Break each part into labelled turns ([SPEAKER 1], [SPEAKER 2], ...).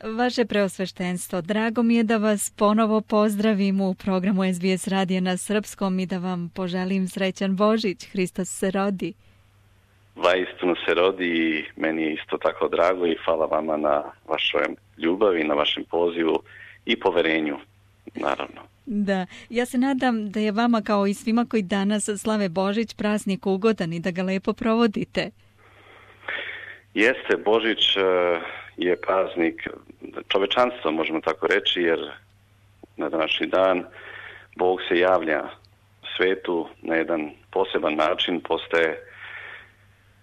[SPEAKER 1] Vaše preosveštenstvo, drago mi je da vas ponovo pozdravim u programu SBS radija na srpskom i da vam poželim srećan Božić. Hristos se rodi.
[SPEAKER 2] Vaistinu se rodi i meni je isto tako drago i hvala vama na vašoj ljubavi, na vašem pozivu i poverenju, naravno.
[SPEAKER 1] Da, ja se nadam da je vama kao i svima koji danas slave Božić praznik ugodan i da ga lepo provodite.
[SPEAKER 2] Jeste, Božić je praznik čovečanstva, možemo tako reći, jer na današnji dan Bog se javlja svetu na jedan poseban način, postaje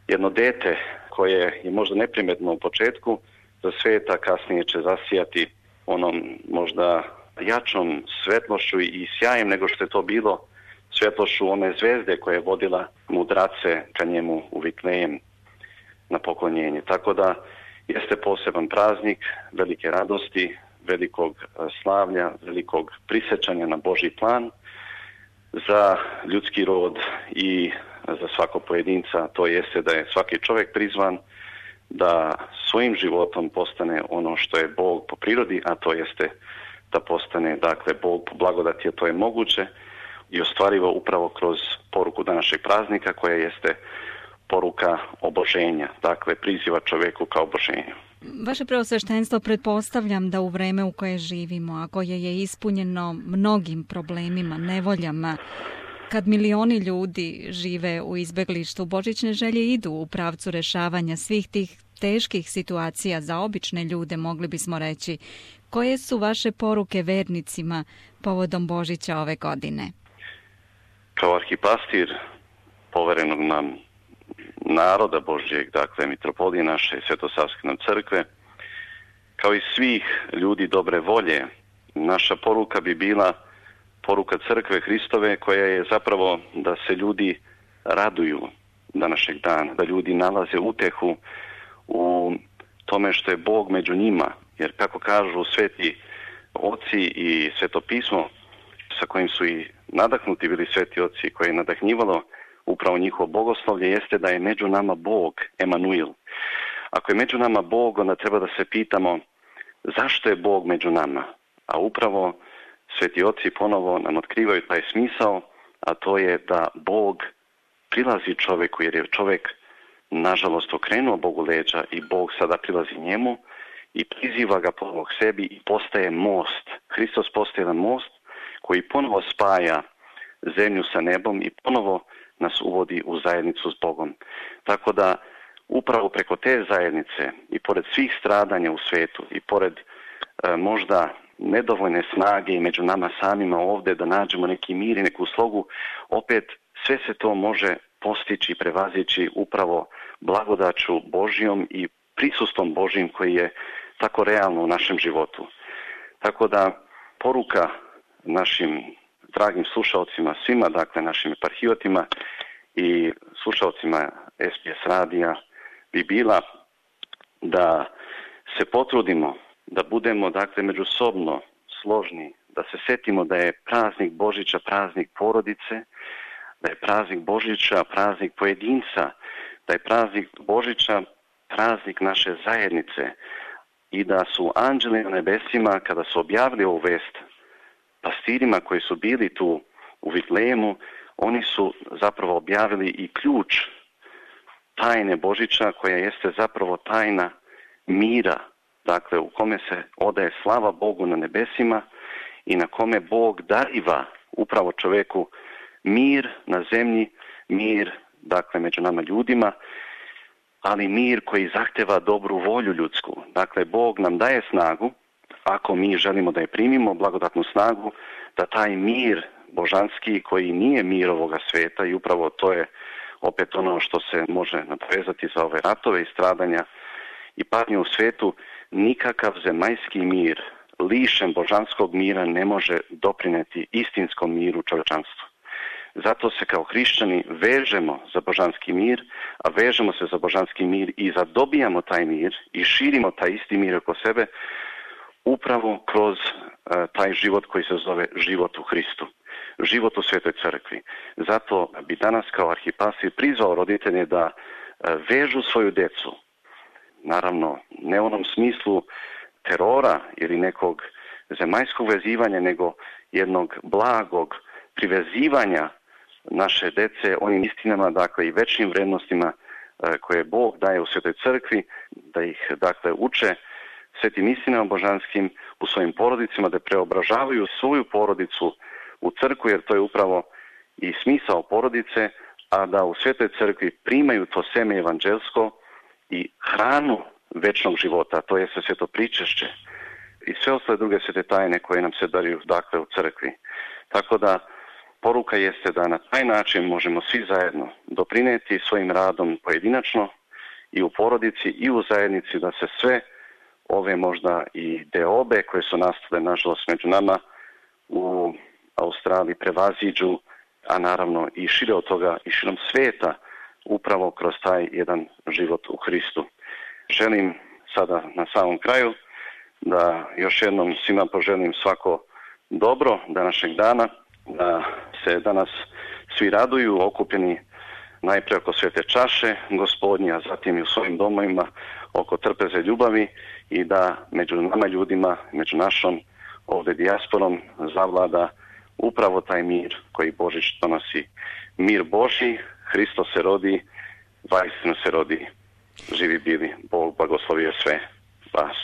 [SPEAKER 2] jedno dete koje je možda neprimetno u početku za sveta, kasnije će zasijati onom možda jačom svetlošću i sjajem nego što je to bilo svetlošću one zvezde koja je vodila mudrace ka njemu u Vitlejem na poklonjenje. Tako da jeste poseban praznik velike radosti, velikog slavlja, velikog prisjećanja na Božji plan za ljudski rod i za svakog pojedinca. To jeste da je svaki čovjek prizvan da svojim životom postane ono što je Bog po prirodi, a to jeste da postane, dakle, Bog po blagodati, a to je moguće i ostvarivo upravo kroz poruku današnjeg praznika koja jeste poruka oboženja, dakle priziva čovjeku kao oboženju.
[SPEAKER 1] Vaše preosveštenstvo, pretpostavljam da u vreme u koje živimo, a koje je ispunjeno mnogim problemima, nevoljama, kad milioni ljudi žive u izbeglištu, božićne želje idu u pravcu rešavanja svih tih teških situacija za obične ljude, mogli bismo reći. Koje su vaše poruke vernicima povodom Božića ove godine?
[SPEAKER 2] Kao arhipastir poverenog nam naroda Božjeg, dakle mitropolije naše Svetosavske nam crkve, kao i svih ljudi dobre volje, naša poruka bi bila poruka crkve Hristove koja je zapravo da se ljudi raduju današnjeg dana, da ljudi nalaze utehu u tome što je Bog među njima, jer kako kažu sveti oci i svetopismo sa kojim su i nadahnuti bili sveti oci, koje je nadahnjivalo upravo njihovo bogoslovlje, jeste da je među nama Bog, Emanuil. Ako je među nama Bog, onda treba da se pitamo zašto je Bog među nama. A upravo sveti oci ponovo nam otkrivaju taj smisao, a to je da Bog prilazi čovjeku, jer je čovjek nažalost okrenuo Bogu leđa i Bog sada prilazi njemu i priziva ga ponovo k sebi i postaje most. Hristos postaje jedan most koji ponovo spaja zemlju sa nebom i ponovo nas uvodi u zajednicu s Bogom. Tako da upravo preko te zajednice i pored svih stradanja u svijetu i pored možda nedovoljne snage i među nama samima ovdje da nađemo neki mir i neku slogu, opet sve se to može postići i prevazići upravo blagodaću Božjom i prisustvom Božjim koji je tako realno u našem životu. Tako da poruka našim dragim slušalcima, svima, dakle našim eparhijotima i slušalcima SBS radija bi bila da se potrudimo, da budemo, dakle, međusobno složni, da se setimo da je praznik Božića praznik porodice, da je praznik Božića praznik pojedinca, da je praznik Božića praznik naše zajednice i da su anđeli na nebesima kada su objavili ovu vest pastirima koji su bili tu u Vitlejemu, oni su zapravo objavili i ključ tajne Božića koja jeste zapravo tajna mira, dakle u kome se odaje slava Bogu na nebesima i na kome Bog dariva upravo čovjeku mir na zemlji, mir, dakle, među nama ljudima, ali mir koji zahteva dobru volju ljudsku. Dakle, Bog nam daje snagu, ako mi želimo da je primimo, blagodatnu snagu, da taj mir božanski koji nije mir ovoga svijeta, i upravo to je opet ono što se može nadovezati za ove ratove i stradanja i patnje u svijetu, nikakav zemaljski mir, lišen božanskog mira, ne može doprineti istinskom miru čovječanstvu. Zato se kao hrišćani vežemo za božanski mir, a vežemo se za božanski mir i zadobijamo taj mir i širimo taj isti mir oko sebe upravo kroz taj život koji se zove život u Hristu, život u Svetoj crkvi. Zato bi danas kao arhipastir prizvao roditelje da vežu svoju djecu, naravno ne u onom smislu terora ili nekog zemaljskog vezivanja, nego jednog blagog privezivanja naše dece onim istinama, dakle i večnim vrednostima koje Bog daje u Svetoj crkvi, da ih dakle uče svetim istinama božanskim u svojim porodicama, da preobražavaju svoju porodicu u crkvu, jer to je upravo i smisao porodice, a da u Svetoj crkvi primaju to seme evanđelsko i hranu večnog života, to je sveto pričešće i sve ostale druge svete tajne koje nam se daruju dakle u crkvi. Tako da poruka jeste da na taj način možemo svi zajedno doprinijeti svojim radom pojedinačno i u porodici i u zajednici, da se sve ove možda i deobe koje su nastale nažalost među nama u Australiji prevaziđu, a naravno i šire od toga i širom svijeta upravo kroz taj jedan život u Hristu. Želim sada na samom kraju da još jednom svima poželim svako dobro današnjeg dana, da se danas svi raduju okupljeni najprije oko svete čaše Gospodnje, a zatim i u svojim domovima oko trpeze ljubavi i da među nama ljudima, među našom ovdje dijasporom zavlada upravo taj mir koji Božić donosi. Mir Božji, Hristos se rodi, vaistinu se rodi. Živi bili, Bog blagoslovio sve vas.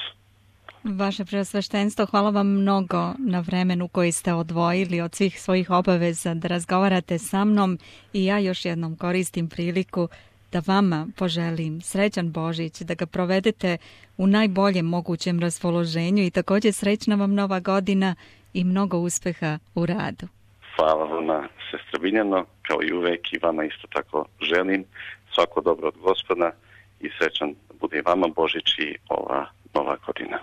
[SPEAKER 1] Vaše preosveštenstvo, hvala vam mnogo na vremenu koji ste odvojili od svih svojih obaveza da razgovarate sa mnom i ja još jednom koristim priliku da vama poželim srećan Božić, da ga provedete u najboljem mogućem raspoloženju i također srećna vam Nova godina i mnogo uspeha u radu.
[SPEAKER 2] Hvala vama, sestra Biljano, kao i uvek i vama isto tako želim svako dobro od Gospoda i srećan bude vama Božić i ova Nova godina.